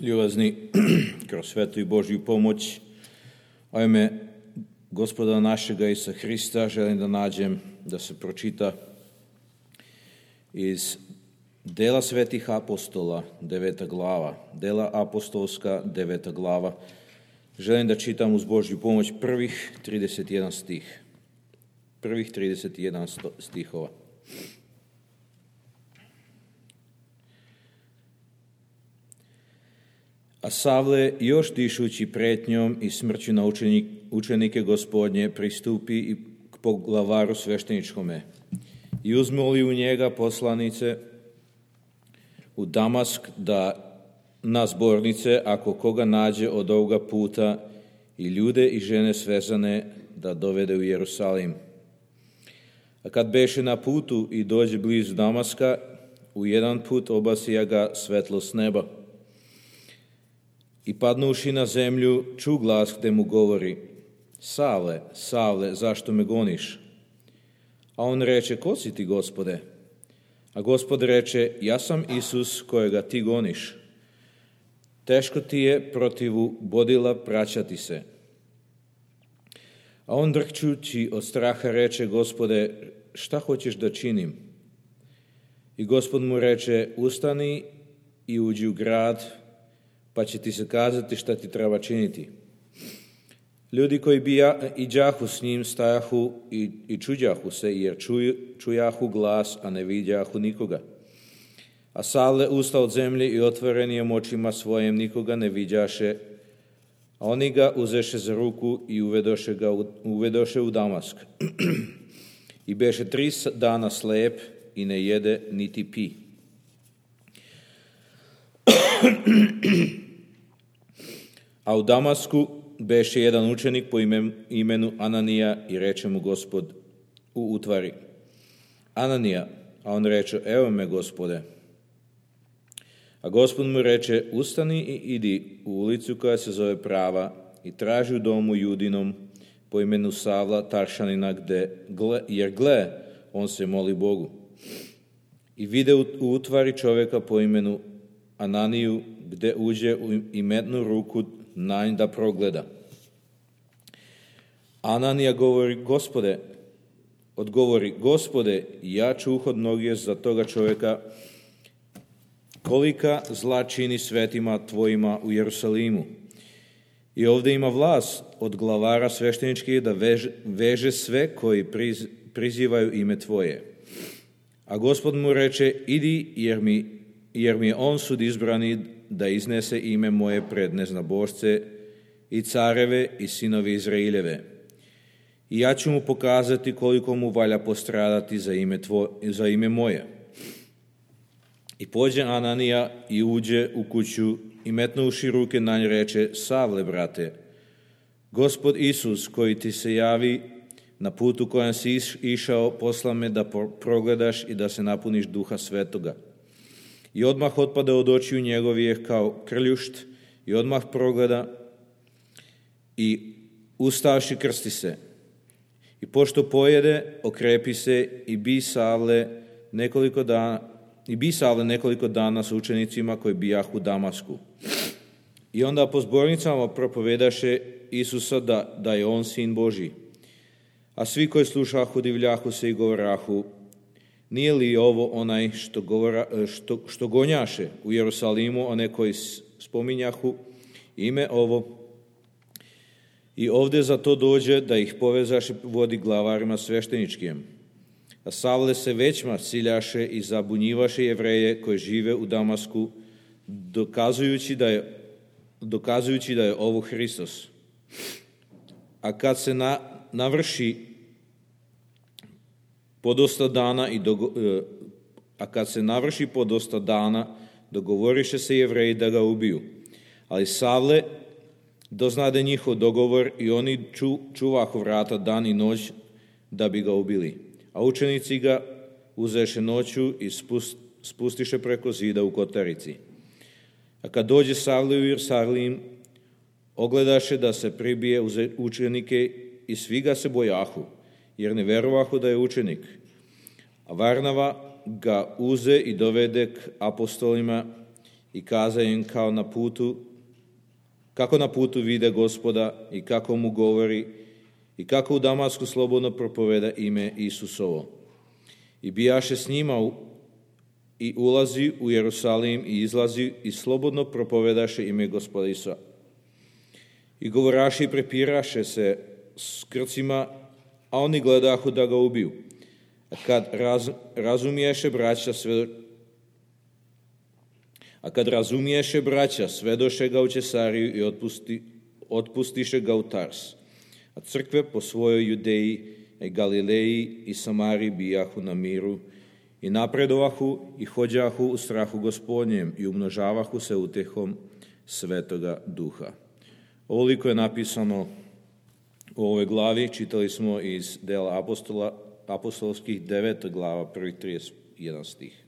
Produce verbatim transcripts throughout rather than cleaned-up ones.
Ljubazni, kroz svetu i Božju pomoć, a u ime Gospoda našega Isusa Hrista želim da nađem da se pročita iz Dela svetih apostola, deveta glava, Dela apostolska, deveta glava. Želim da čitam uz Božju pomoć prvih trideset jedan stih. Prvih trideset jedan stihova. A Savle, još dišući pretnjom i smrću na učenik, učenike Gospodnje, pristupi i k poglavaru svešteničkome i uzmoli u njega poslanice u Damask da na zbornice, ako koga nađe od ovoga puta, i ljude i žene svezane da dovede u Jerusalim. A kad beše na putu i dođe blizu Damaska, u jedan put obasija ga svetlost neba. I padnuši na zemlju, ču glas gde mu govori: Savle, Savle, zašto me goniš? A on reče: Ko si ti, Gospode? A Gospod reče: Ja sam Isus kojega ti goniš. Teško ti je protivu bodila praćati se. A on drhčući od straha reče: Gospode, šta hoćeš da činim? I Gospod mu reče: Ustani i uđi u grad, pa će ti se kazati šta ti treba činiti. Ljudi koji bi ja, i đahu s njim stajahu i, i čuđahu se, jer čuj, čujahu glas, a ne vidjahu nikoga. A Savle usta od zemlje i otvorenijom očima svojim nikoga ne vidjaše, a oni ga uzeše za ruku i uvedoše ga u, uvedoše u Damask. I beše tri dana slep i ne jede niti pi. A u Damasku beše jedan učenik po imenu Ananija i reče mu Gospod u utvari: Ananija, a on reče: Evo me, Gospode. A Gospod mu reče: Ustani i idi u ulicu koja se zove Prava i traži u domu Judinom po imenu Savla Taršanina, gde, jer gle, on se moli Bogu. I vide u utvari čoveka po imenu Ananiju, gde uđe i metnu ruku na nj da progleda. Ananija govori: Gospode, odgovori: Gospode, ja čuh od mnogih za toga čoveka kolika zla čini svetima tvojima u Jerusalimu. I ovde ima vlast od glavara svešteničkih da veže, veže sve koji priz, prizivaju ime tvoje. A Gospod mu reče: Idi, jer mi, jer mi je on sud izbrani da iznese ime moje pred neznabošce i careve i sinovi Izraeljeve. I ja ću mu pokazati koliko mu valja postradati za ime, tvoje, za ime moje. I pođe Ananija i uđe u kuću i metnuši ruke na nj reče: Savle, brate, Gospod Isus koji ti se javi na putu kojem si išao, posla me da progledaš i da se napuniš Duha Svetoga. I odmah otpada od očiju njegovih kao krljušt i odmah progleda i ustavši krsti se. I pošto pojede, okrepi se i bi Savle nekoliko dana, i bi Savle nekoliko dana sa učenicima koji bijahu u Damasku. I onda po zbornicama propovedaše Isusa da, da je on sin Božji. A svi koji slušahu divljahu se i govorahu: Nije li ovo onaj što, govora, što, što gonjaše u Jerusalimu, one koji spominjahu ime ovo? I ovde za to dođe da ih povezaše vodi glavarima svešteničkim. A Savle se većma ciljaše i zabunjivaše Jevreje koji žive u Damasku, dokazujući da je, dokazujući da je ovo Hristos. A kad se na, navrši podosta dana i dogo, a kad se navrši podosta dana, dogovoriše se Jevreji da ga ubiju. Ali Savle doznade njihov dogovor i oni ču, čuvahu vrata dan i noć da bi ga ubili. A učenici ga uzeše noću i spust, spustiše preko zida u kotarici. A kad dođe Savle u Jerusalim, ogledaše da se pribije uze učenike i svi ga se bojahu, jer ne verovahu da je učenik. A Varnava ga uze i dovede k apostolima i kaza im kao na putu, kako na putu vide Gospoda i kako mu govori i kako u Damasku slobodno propoveda ime Isusovo. I bijaše s njima u, i ulazi u Jerusalim i izlazi i slobodno propovedaše ime Gospoda Isusa. I govoraše i prepiraše se s Grcima, a oni gledahu da ga ubiju. A kad raz, razumiješe braća sve, a kad razumiješe braća, svedoše ga u Cesariju i otpusti, otpustiše ga u Tars. A crkve po svojoj Judeji i Galileji i Samariji bijahu na miru i napredovahu i hođahu u strahu Gospodnjem i umnožavahu se utehom Svetoga Duha. Ovoliko je napisano u ovoj glavi. Čitali smo iz dela apostola, apostolskih deveta glava, prvih trideset jedan stih.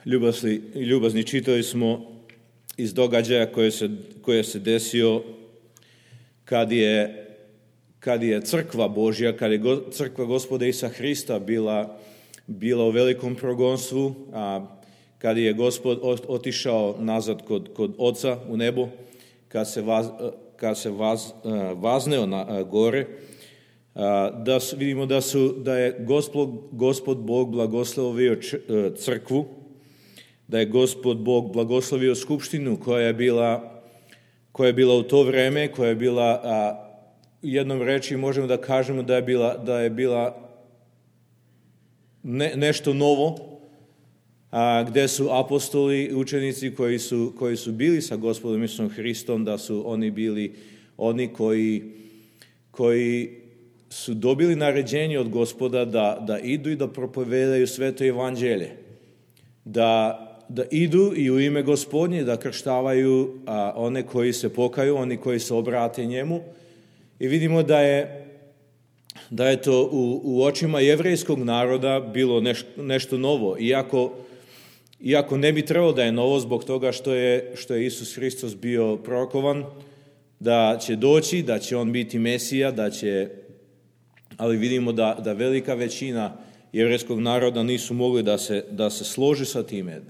Ljubazni, ljubazni čitali smo iz događaja koje se, koje se desio kad je, kad je crkva Božja, kad je go, crkva Gospoda Isusa Hrista bila, bila u velikom progonstvu, a kad je Gospod otišao nazad kod, kod Oca u nebo, kad se, vaz, kad se vaz, vazneo na gore, da su, vidimo da, su, da je Gospod, Gospod Bog blagoslovio crkvu, da je Gospod Bog blagoslovio skupštinu koja je bila, koja je bila u to vreme, koja je bila, a, jednom reči možemo da kažemo da je bila, da je bila ne, nešto novo, a, gde su apostoli, učenici koji su, koji su bili sa Gospodom Isusom Hristom, da su oni bili oni koji, koji su dobili naređenje od Gospoda da, da idu i da propovedaju sveto evanđelje, da da idu i u ime Gospodnje, da krštavaju a, one koji se pokaju, oni koji se obrate njemu. I vidimo da je, da je to u, u očima jevrejskog naroda bilo neš, nešto novo, iako, iako ne bi trebalo da je novo zbog toga što je, što je Isus Hristos bio prorokovan, da će doći, da će on biti Mesija, da će, ali vidimo da, da velika većina jevrejskog naroda nisu mogli da se, da se složi sa time.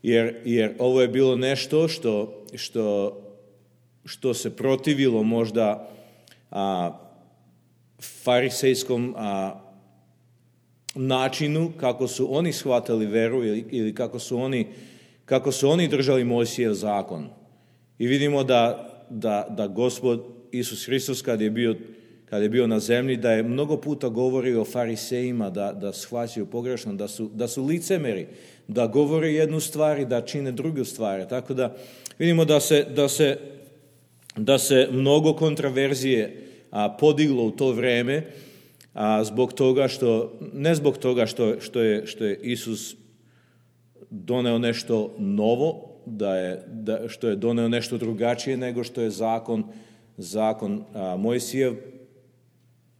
Jer, jer ovo je bilo nešto što, što, što se protivilo možda a, farisejskom a, načinu kako su oni shvatali veru ili, ili kako, su oni, kako su oni držali Mojsijev zakon. I vidimo da, da, da Gospod Isus Hristos kad je bio, kad je bio na zemlji, da je mnogo puta govorio o farisejima da, da shvaćaju pogrešno, da su, da su licemeri, da govore jednu stvar i da čine drugu stvar. Tako da vidimo da se, da se, da se mnogo kontraverzije a, podiglo u to vreme, a, zbog toga što, ne zbog toga što, što, je, što je Isus doneo nešto novo, da je, da, što je doneo nešto drugačije nego što je zakon, zakon a, Mojsijev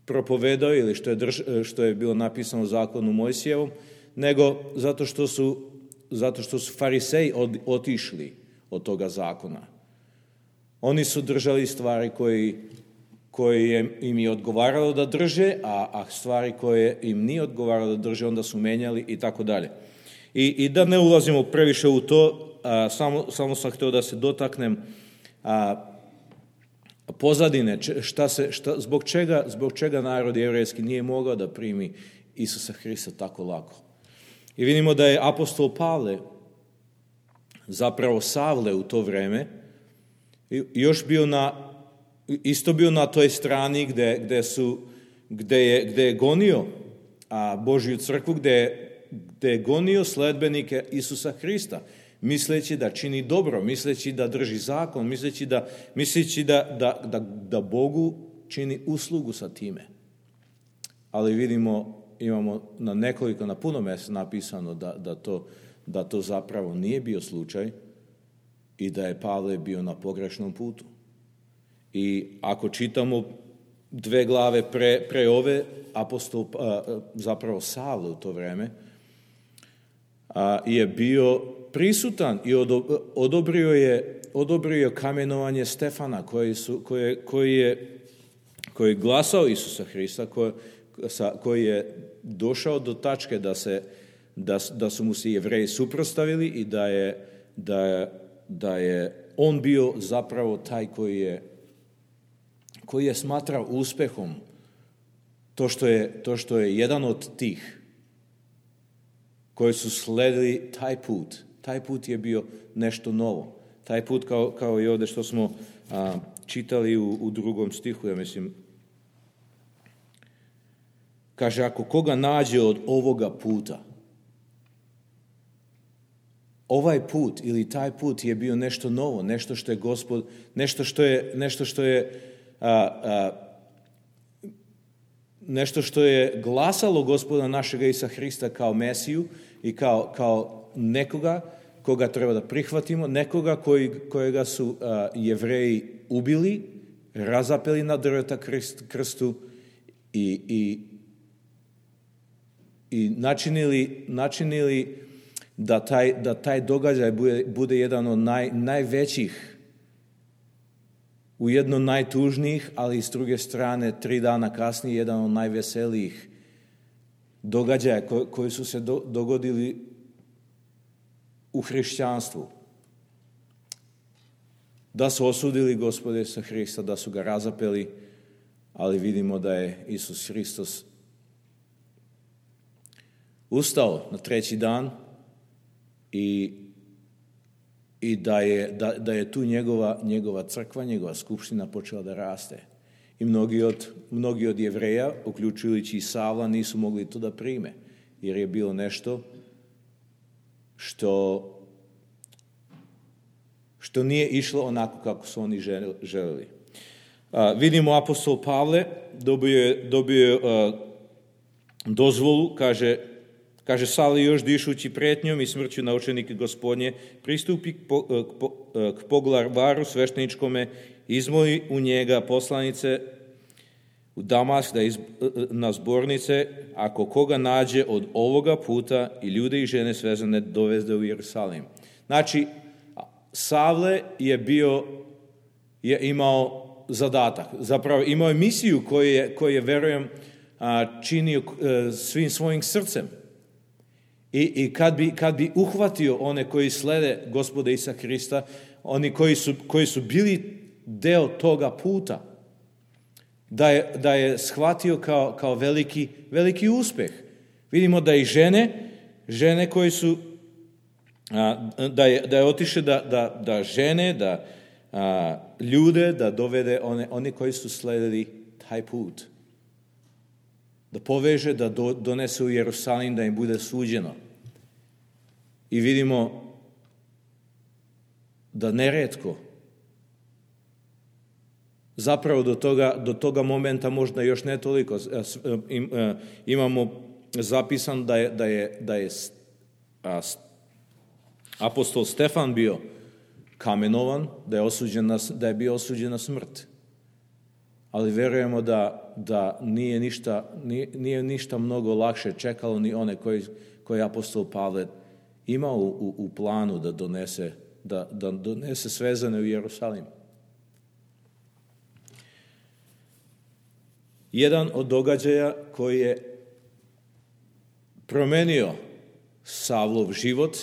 propovedao ili što je, drž, što je bilo napisano u zakonu Mojsijevom, nego zato što su, zato što su fariseji od, otišli od toga zakona. Oni su držali stvari koji, koje je, im je odgovaralo da drže, a, a stvari koje im nije odgovaralo da drže, onda su menjali i tako dalje. I, i da ne ulazimo previše u to, a, samo, samo sam htio da se dotaknem a, pozadine, šta se, šta, zbog, čega, zbog čega narod jevrejski nije mogao da primi Isusa Hrista tako lako. I vidimo da je apostol Pavle, zapravo Savle u to vreme, još bio na, isto bio na toj strani gde, gde, su, gde, je, gde je gonio a, Božju crkvu, gde, gde je gonio sledbenike Isusa Hrista, misleći da čini dobro, misleći da drži zakon, misleći da, misleći da, da, da, da Bogu čini uslugu sa time. Ali vidimo, imamo na nekoliko, na puno mjesta napisano da, da, to, da to zapravo nije bio slučaj i da je Pavle bio na pogrešnom putu. I ako čitamo dve glave pre, pre ove, apostol, zapravo Savle u to vreme, je bio prisutan i odobrio je, odobrio je kamenovanje Stefana koji, su, koji, koji, je, koji je glasao Isusa Hrista, koji, koji je došao do tačke da, se, da, da su mu se Jevreji suprotstavili i da je, da, je, da je on bio zapravo taj koji je, koji je smatrao uspehom to što je, to što je jedan od tih koji su sledili taj put. Taj put je bio nešto novo. Taj put kao, kao i ovdje što smo a, čitali u, u drugom stihu, ja mislim. Kaže, ako koga nađe od ovoga puta, ovaj put ili taj put je bio nešto novo, nešto što je Gospod, nešto što je, nešto što je, a, a, nešto što je glasalo Gospoda našega Isusa Hrista kao Mesiju i kao, kao nekoga koga treba da prihvatimo, nekoga koji, kojega su a, Jevreji ubili, razapeli na drveta krst, krstu i, i, i načinili, načinili da taj, da taj događaj bude, bude jedan od naj, najvećih, ujedno najtužnijih, ali s druge strane tri dana kasnije jedan od najveselijih događaja ko, koji su se do, dogodili u hrišćanstvu. Da su osudili Gospoda Isusa Hrista, da su ga razapeli, ali vidimo da je Isus Hristos ustao na treći dan i, i da, je, da, da je tu njegova, njegova crkva, njegova skupština počela da raste. I mnogi od, mnogi od Jevreja, uključujući i Savla, nisu mogli to da prime, jer je bilo nešto što, što nije išlo onako kako su oni želeli. A, vidimo apostol Pavle, dobio je, dobio je a, dozvolu, kaže, kaže Savle još dišući pretnjom i smrću na učenike Gospodnje, pristupi k, po, k, po, k poglavaru svešteničkome, izmoli u njega poslanice u Damask da iz, na zbornice, ako koga nađe od ovoga puta i ljude i žene svezane dovede u Jerusalim. Znači, Savle je bio, je imao zadatak, zapravo imao je misiju koju je, koju je verujem, činio svim svojim srcem. I, i kad, bi, kad bi uhvatio one koji slede Gospoda Isusa Hrista, oni koji su, koji su bili deo toga puta, da je, da je shvatio kao, kao veliki, veliki uspeh. Vidimo da i žene, žene koji su, a, da je, da je otišao da, da, da žene, da a, ljude, da dovede one, oni koji su sledili taj put. Da poveže, da do, donese u Jerusalim, da im bude suđeno. I vidimo da neretko, zapravo do toga, do toga momenta možda još ne toliko, imamo zapisan da je, da je, da je apostol Stefan bio kamenovan, da je, osuđen na, da je bio osuđen na smrt. Ali verujemo da, da nije, ništa, nije, nije ništa mnogo lakše čekalo ni one koji, koji apostol Pavle imao u, u planu da donese, da, da donese svezane u Jerusalim. Jedan od događaja koji je promenio Savlov život,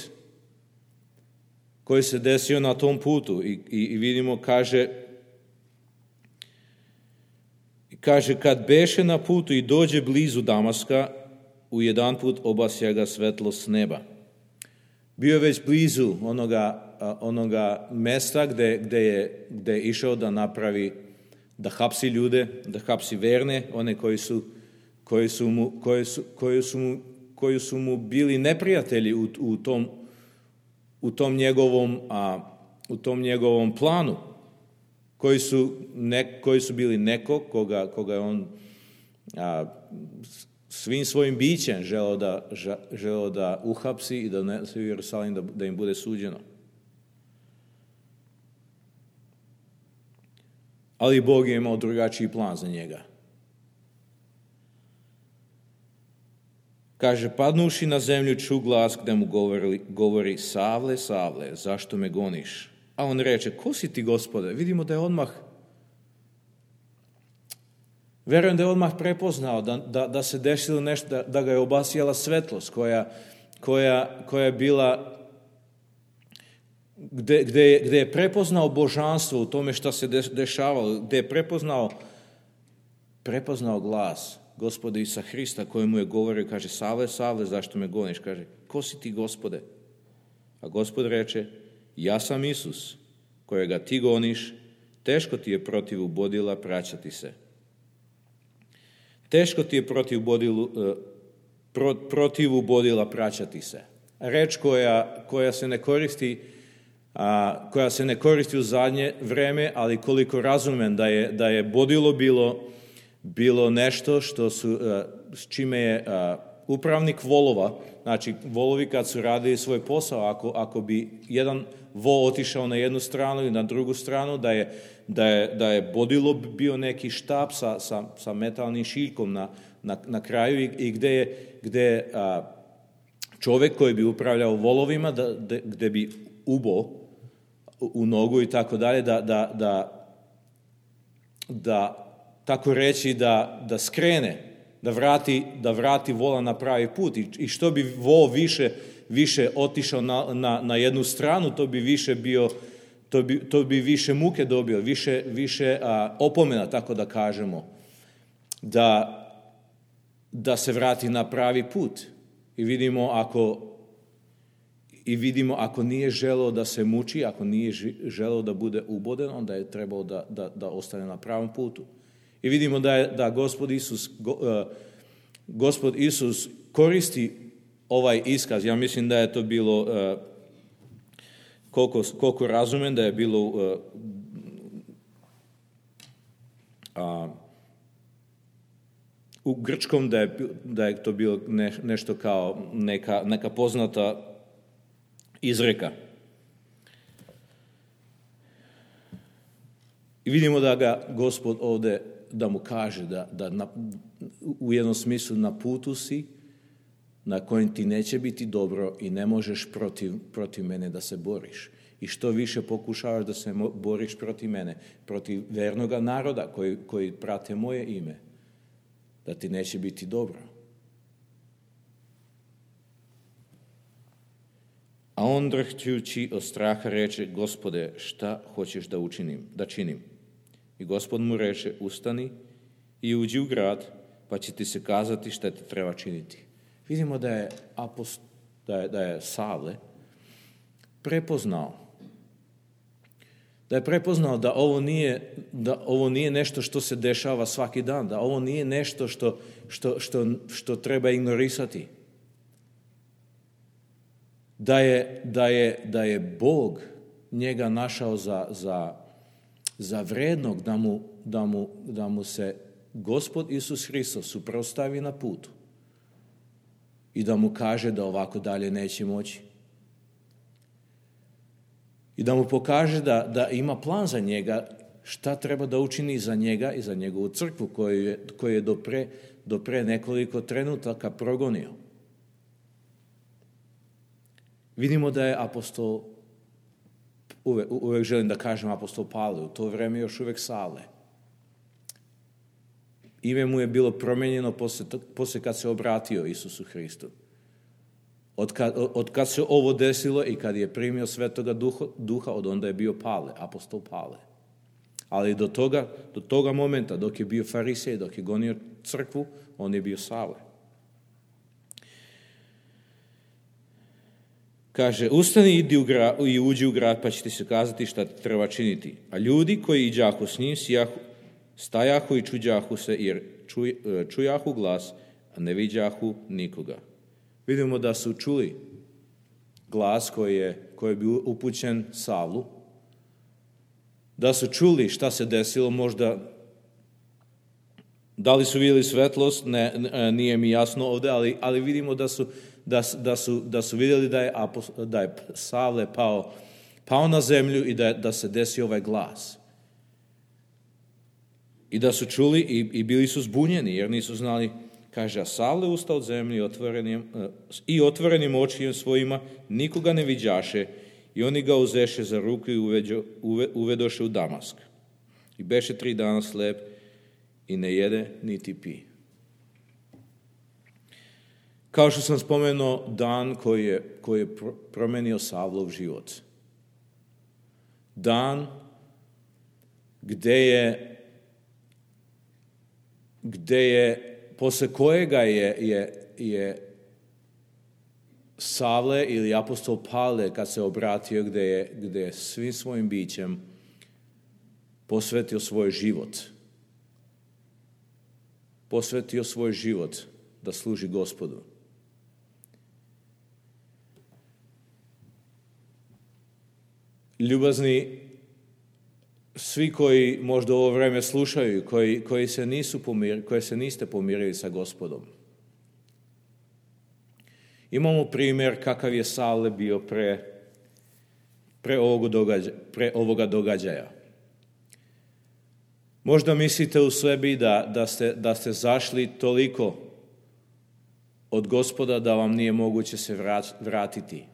koji se desio na tom putu i, i, i vidimo, kaže, kaže, kad beše na putu i dođe blizu Damaska, u jedan put obasja ga svetlo s neba. Bio je već blizu onoga, onoga mesta gde, gde, je, gde je išao da napravi, da hapsi ljude, da hapsi verne, one koji su, koji su, mu, koji su, koji su, mu, koji su mu bili neprijatelji u, u, tom, u, tom njegovom, a, u tom njegovom planu. Koji su, ne, koji su bili neko koga, koga je on a, svim svojim bićem želeo da, želeo da uhapsi i da donese u Jerusalim da, da im bude suđeno. Ali Bog je imao drugačiji plan za njega. Kaže, padnuši na zemlju ču glas gde mu govori, govori Savle, Savle, zašto me goniš? A on reče, ko si ti, Gospode? Vidimo da je odmah, verujem da je odmah prepoznao da, da, da se desilo nešto, da, da ga je obasjala svetlost koja, koja, koja je bila, gde, gde, gde je prepoznao božanstvo u tome šta se dešavalo, gde je prepoznao, prepoznao glas Gospoda Isusa Hrista kojemu je govorio, kaže, Savle, Savle, zašto me goniš? Kaže, ko si ti, Gospode? A Gospod reče, ja sam Isus, kojega ti goniš, teško ti je protiv ubodila praćati se. Teško ti je protiv, bodilu, pro, protiv ubodila praćati se. Reč koja, koja se ne koristi, a, koja se ne koristi u zadnje vreme, ali koliko razumem da je, da je bodilo bilo, bilo nešto što su, a, s čime je a, upravnik volova, znači volovi kad su radili svoj posao, ako, ako bi jedan vol otišao na jednu stranu i na drugu stranu, da je, da je, da je bodilo bio neki štap sa, sa, sa metalnim šiljkom na, na, na kraju i, i gde je, gde je a, čovjek koji bi upravljao volovima, da, da, gde bi ubo u nogu i tako dalje, da, da, da, da tako reći da, da skrene, da vrati, da vrati vola na pravi put. I, i što bi vol više, više otišao na, na, na jednu stranu, to bi više bio, to bi, to bi više muke dobio, više, više a, opomena, tako da kažemo, da, da se vrati na pravi put. I vidimo ako i vidimo ako nije želeo da se muči, ako nije želeo da bude uboden, onda je trebao da, da, da ostane na pravom putu. I vidimo da je da Gospod Isus, go, uh, Gospod Isus koristi ovaj iskaz. Ja mislim da je to bilo, uh, koliko, koliko razumem, da je bilo uh, uh, u grčkom da je, da je to bilo ne, nešto kao neka, neka poznata izreka. I vidimo da ga Gospod ovdje, da mu kaže da, da na, u jednom smislu na putu si na kojem ti neće biti dobro i ne možeš protiv, protiv mene da se boriš. I što više pokušavaš da se boriš protiv mene, protiv vernoga naroda koji, koji prate moje ime, da ti neće biti dobro. A on drhćući od straha reče, Gospode, šta hoćeš da učinim, da činim? I Gospod mu reče, ustani i uđi u grad, pa će ti se kazati šta ti treba činiti. Vidimo da je, apost, da je, da je Savle prepoznao, da je prepoznao da ovo nije, da ovo nije nešto što se dešava svaki dan, da ovo nije nešto što, što, što, što treba ignorisati. Da je, da je, da je Bog njega našao za, za, za vrednog da mu, da, mu, da mu se Gospod Isus Hristos suprotstavi na putu i da mu kaže da ovako dalje neće moći. I da mu pokaže da, da ima plan za njega, šta treba da učini za njega i za njegovu crkvu koju je, koju je do, pre, do pre nekoliko trenutaka progonio. Vidimo da je apostol, uvek, uvek želim da kažem apostol Pavle, u to vreme još uvek Savle. Ime mu je bilo promenjeno posle, posle kad se obratio Isusu Hristu. Od kad, od kad se ovo desilo i kad je primio Svetoga duha, duha, od onda je bio Pavle, apostol Pavle. Ali do toga, do toga momenta, dok je bio farisej, dok je gonio crkvu, on je bio Savle. Kaže, ustani idi u gra, i uđi u grad, pa će ti se kazati šta ti treba činiti. A ljudi koji iđahu s njim, sijahu, stajahu i čuđahu se, jer čuj, čujahu glas, a ne viđahu nikoga. Vidimo da su čuli glas koji je, koji je bio upućen Savlu, da su čuli šta se desilo, možda da li su vidjeli svetlost, ne, nije mi jasno ovdje, ali, ali vidimo da su, da, da su, da su vidjeli da je, da je Savle pao, pao na zemlju i da, da se desi ovaj glas. I da su čuli i, i bili su zbunjeni, jer nisu znali Kaže, a Savle ustao od zemlje i otvorenim, i otvorenim očima svojima nikoga ne viđaše, i oni ga uzeše za ruku i uveđo, uve, uvedoše u Damask. I beše tri dana slep i ne jede niti pi. Kao što sam spomenuo, dan koji je, koji je promenio Savlov život. Dan gde je, gde je posle kojega je, je, je Savle ili apostol Pavle, kad se obratio, gde je, gde je svim svojim bićem posvetio svoj život. Posvetio svoj život da služi Gospodu. Ljubazni, svi koji možda ovo vreme slušaju, koji, koji se nisu pomir, koji se niste pomirili sa Gospodom. Imamo primjer kakav je Savle bio pre, pre, ovog događaja, pre ovoga događaja. Možda mislite u sebi da, da, ste, da ste zašli toliko od Gospoda da vam nije moguće se vratiti.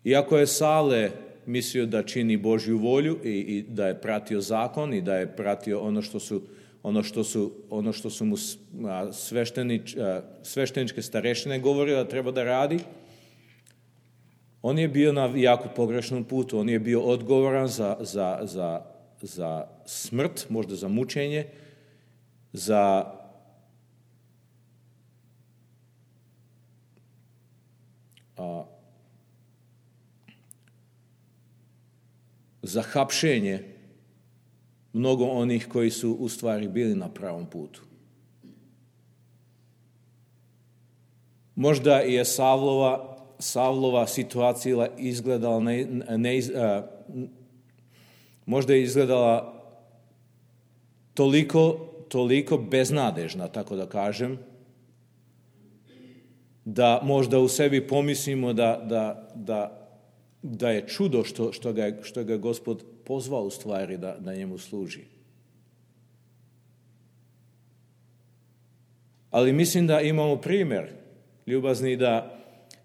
Iako je Savle mislio da čini Božju volju i, i da je pratio zakon i da je pratio ono što su, ono što su, ono što su mu sveštenič, svešteničke starešine govorile da treba da radi, on je bio na jako pogrešnom putu. On je bio odgovoran za, za, za, za smrt, možda za mučenje, za a, za hapšenje mnogo onih koji su u stvari bili na pravom putu. Možda je Savlova, Savlova situacija izgledala ne, ne, a, možda je izgledala toliko, toliko beznadežna, tako da kažem, da možda u sebi pomislimo da, da, da da je čudo što, što, ga, što ga Gospod pozvao u stvari da, da njemu služi. Ali mislim da imamo primjer, ljubazni, da,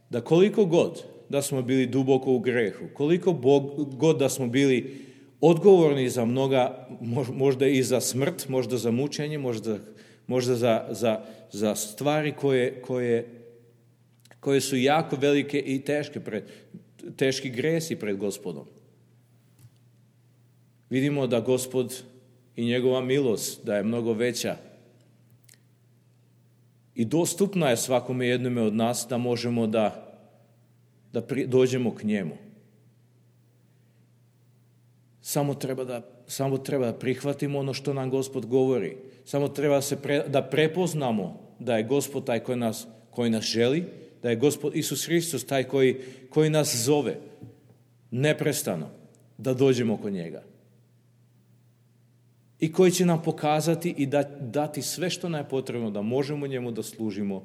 da koliko god da smo bili duboko u grehu, koliko Bog, god da smo bili odgovorni za mnoga, možda i za smrt, možda za mučenje, možda, možda za, za, za stvari koje, koje, koje su jako velike i teške pred teški gresi pred Gospodom. Vidimo da Gospod i njegova milost da je mnogo veća i dostupna je svakome jednome od nas da možemo da, da pri, dođemo k njemu. Samo treba, da, samo treba da prihvatimo ono što nam Gospod govori. Samo treba se pre, da prepoznamo da je Gospod taj koji nas, koji nas želi, da je Gospod Isus Hristos taj koji, koji nas zove neprestano da dođemo kod njega. I koji će nam pokazati i da, dati sve što nam je potrebno da možemo njemu da služimo,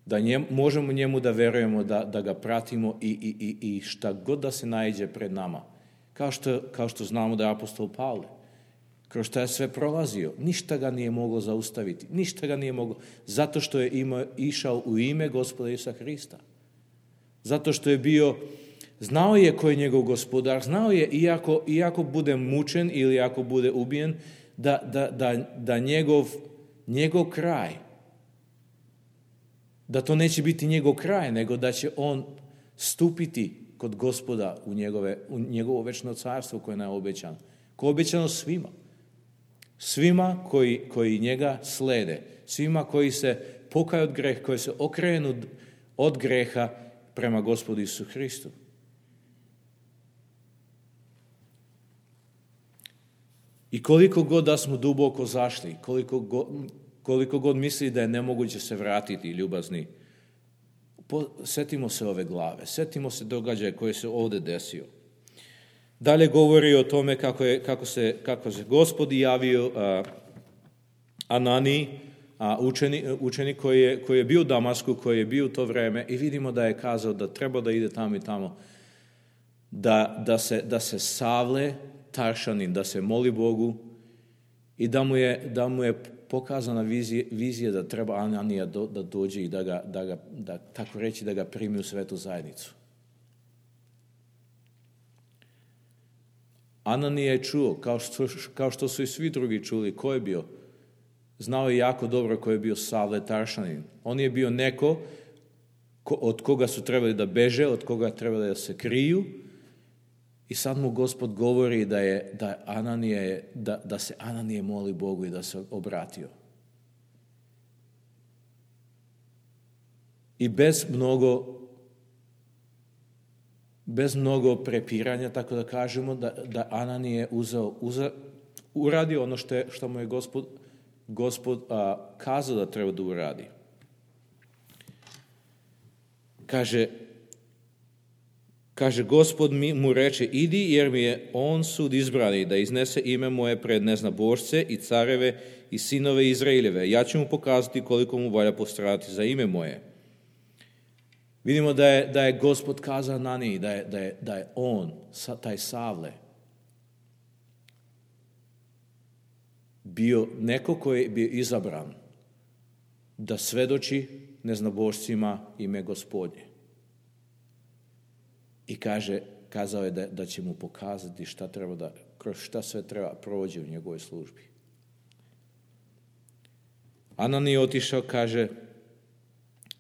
da njem, možemo njemu da verujemo, da, da ga pratimo i, i, i, i šta god da se naiđe pred nama. Kao što, kao što znamo da je apostol Pavle, kroz što je sve prolazio, ništa ga nije moglo zaustaviti, ništa ga nije moglo, zato što je imao, išao u ime Gospoda Isusa Hrista. Zato što je bio, znao je ko je njegov gospodar, znao je, iako, iako bude mučen ili ako bude ubijen, da, da, da, da njegov, njegov kraj, da to neće biti njegov kraj, nego da će on stupiti kod Gospoda u, njegove, u njegovo večno carstvo koje je nam obećano. Koje je obećano svima. Svima koji, koji njega slede. Svima koji se pokaju od greha, koji se okrenu od greha prema Gospodu Isusu Hristu. I koliko god da smo duboko zašli, koliko god, koliko god misli da je nemoguće se vratiti, ljubazni, setimo se ove glave, setimo se događaja koji se ovdje desio. Dalje govori o tome kako, je, kako, se, kako se Gospod javio a, Ananiji, a učenik, učenik koji, je, koji je bio u Damasku, koji je bio u to vreme, i vidimo da je kazao da treba da ide tamo i tamo, da, da, se, da se savle Taršanin, da se moli Bogu i da mu je, da mu je pokazana vizija, vizija da treba Ananija do, da dođe i da ga, da ga, da, tako reći, da ga primi u svetu zajednicu. Ananija je čuo, kao što, kao što su i svi drugi čuli, ko je bio. Znao je jako dobro ko je bio Savle Taršanin. On je bio neko ko, od koga su trebali da beže, od koga trebali da se kriju. I sad mu Gospod govori da, je, da, Ananija je, da, da se Ananije moli Bogu i da se obratio. I bez mnogo, bez mnogo prepiranja, tako da kažemo, da, da Ananije uzeo, uzeo, uradio ono što, je, što mu je Gospod, Gospod a, kazao da treba da uradi. Kaže, Kaže, Gospod mi, mu reče, idi jer mi je on sud izbrani da iznese ime moje pred neznabošce i careve i sinove Izraeljeve. Ja ću mu pokazati koliko mu valja postradati za ime moje. Vidimo da je, da je Gospod kazao Ananiji, da je, da je, da je on, taj Savle, bio neko koji je bio izabran da svedoči neznabošcima ime Gospodnje. I kaže, kazao je da, da će mu pokazati šta treba da, kroz šta sve treba prođe u njegovoj službi. Ananija otišao, kaže,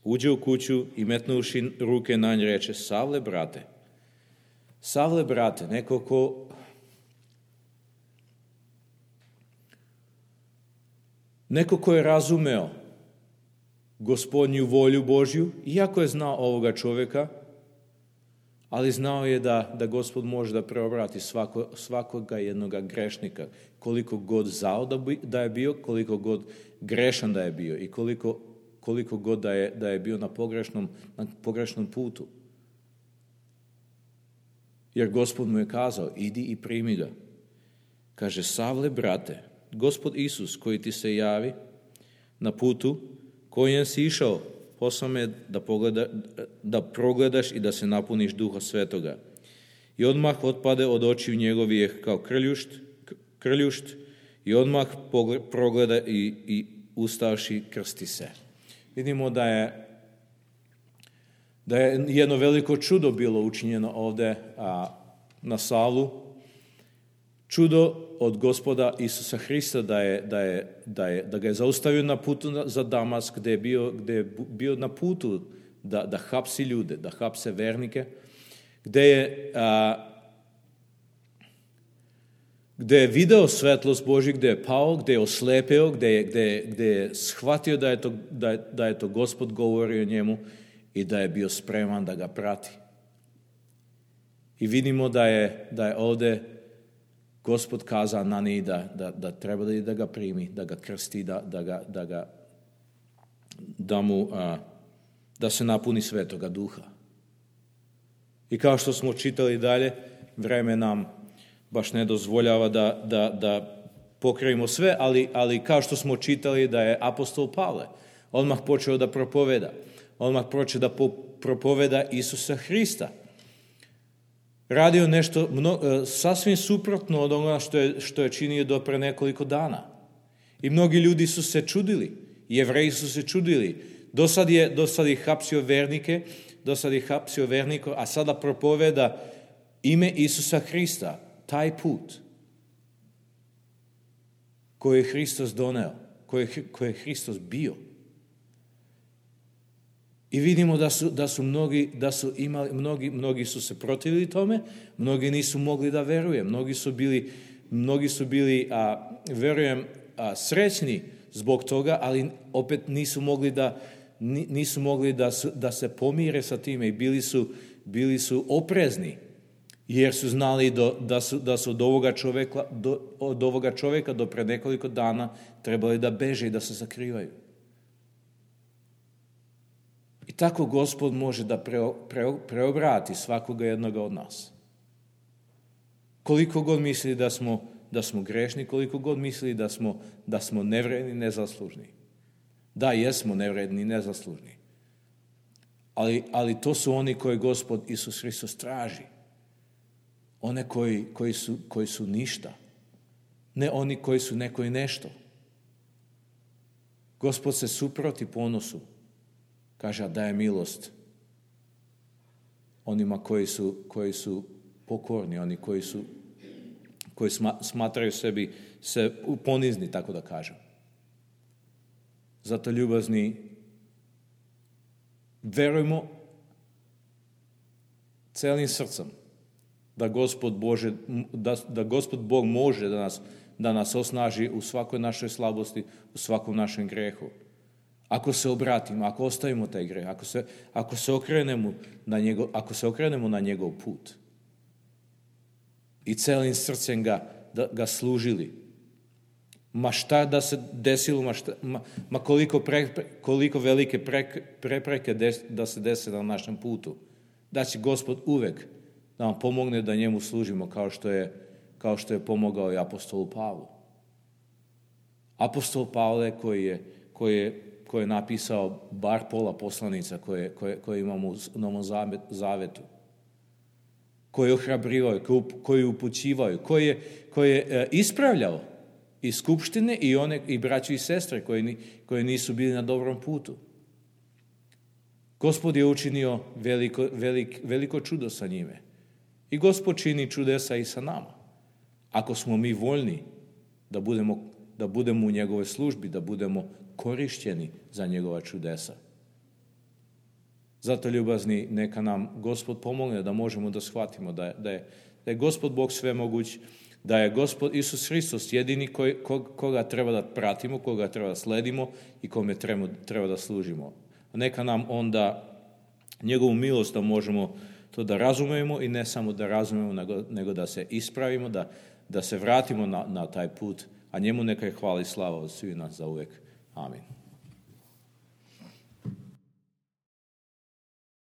uđe u kuću i metnuši ruke na nj reče, Savle, brate, Savle, brate, neko ko neko ko je razumeo Gospodnju volju Božju, iako je znao ovoga čovjeka, ali znao je da, da Gospod može da preobrati svako, svakoga jednoga grešnika, koliko god zao da, bi, da je bio, koliko god grešan da je bio i koliko, koliko god da je, da je bio na pogrešnom, na pogrešnom putu. Jer Gospod mu je kazao, idi i primi ga. Kaže, Savle, brate, Gospod Isus koji ti se javi na putu kojem si išao, poslao me da, pogleda, da progledaš i da se napuniš Duha Svetoga. I odmah otpade od očiju njegovih kao krljušt, krljušt i odmah pogled, progleda i, i ustavši krsti se. Vidimo da je, da je jedno veliko čudo bilo učinjeno ovdje a, na Savlu. Čudo od Gospoda Isusa Hrista da, je, da, je, da, je, da ga je zaustavio na putu za Damask, gdje je bio, gdje je bio na putu da, da hapsi ljude, da hapse vernike, gdje je, a, gdje je video svetlost Božju, gdje je pao, gdje je oslepeo, gdje je, gdje je, gdje je shvatio da je, to, da, je, da je to Gospod govorio njemu i da je bio spreman da ga prati. I vidimo da je, da je ovdje Gospod kazao Ananiji da, da, da treba da, da ga primi, da ga krsti, da, da, ga, da, ga, da, mu, a, da se napuni Svetoga Duha. I kao što smo čitali dalje, vreme nam baš ne dozvoljava da, da, da pokrijemo sve, ali, ali kao što smo čitali da je apostol Pavle odmah počeo da propoveda, odmah počeo da po, propoveda Isusa Hrista. Radio nešto mno, sasvim suprotno od onoga što je, što je činio do pre nekoliko dana. I mnogi ljudi su se čudili, Jevreji su se čudili. Do sad je, do sad je hapsio vernike, do sad je hapsio vernike, a sada propoveda ime Isusa Hrista, taj put koji je Hristos doneo, koji je, koji je Hristos bio. I vidimo da su, da su mnogi, da su imali, mnogi, mnogi su se protivili tome, mnogi nisu mogli da veruje, mnogi su bili, mnogi su bili, a, verujem, a, srećni zbog toga, ali opet nisu mogli da, nisu mogli da, su, da se pomire sa time i bili su, bili su oprezni, jer su znali do, da su, da su od ovoga čovjeka, do, od ovoga čovjeka do pre nekoliko dana trebali da beže i da se sakrivaju. I tako Gospod može da preo, preo, preobrati svakoga jednoga od nas. Koliko god misli da smo, da smo grešni, koliko god misli da smo, da smo nevredni, nezaslužni. Da, jesmo nevredni, nezaslužni. Ali, ali to su oni koji Gospod Isus Hristos traži. One koji, koji, su, koji su ništa. Ne oni koji su neko i nešto. Gospod se suproti ponosu. Kaže, a daje milost onima koji su, koji su pokorni, oni koji su koji smatraju sebi se ponizni, tako da kažem. Zato, ljubazni, verujmo celim srcem da Gospod, Bože, da, da Gospod Bog može da nas, da nas osnaži u svakoj našoj slabosti, u svakom našem grehu. Ako se obratimo, ako ostavimo taj greh, ako se, ako se okrenemo na njegov, ako se okrenemo na njegov put i celim srcem ga, da, ga služili, ma šta da se desilo, ma, šta, ma, ma koliko, pre, koliko velike pre, prepreke des, da se dese na našem putu, da će Gospod uvek da nam pomogne da njemu služimo kao što je, kao što je pomogao i apostolu Pavlu. Apostol Pavle koji je, koji je, koji je napisao bar pola poslanica koje, koje, koje imamo u Novom Zavetu, koji je ohrabrivao, koji je upućivao, koji je, koji je ispravljao i skupštine i one i braću i sestre koji, koji nisu bili na dobrom putu. Gospod je učinio veliko, velik, veliko čudo sa njime. I Gospod čini čudesa i sa nama. Ako smo mi voljni da budemo, da budemo u njegovoj službi, da budemo korišćeni za njegova čudesa. Zato, ljubazni, neka nam Gospod pomogne da možemo da shvatimo da je, da je, da je Gospod Bog svemoguć, da je Gospod Isus Hristos jedini koji, koga treba da pratimo, koga treba da sledimo i kome treba, treba da služimo. A neka nam onda njegovu milost da možemo to da razumemo i ne samo da razumemo, nego, nego da se ispravimo, da, da se vratimo na, na taj put, a njemu neka je hvala i slava od svih nas za uvek. Amin.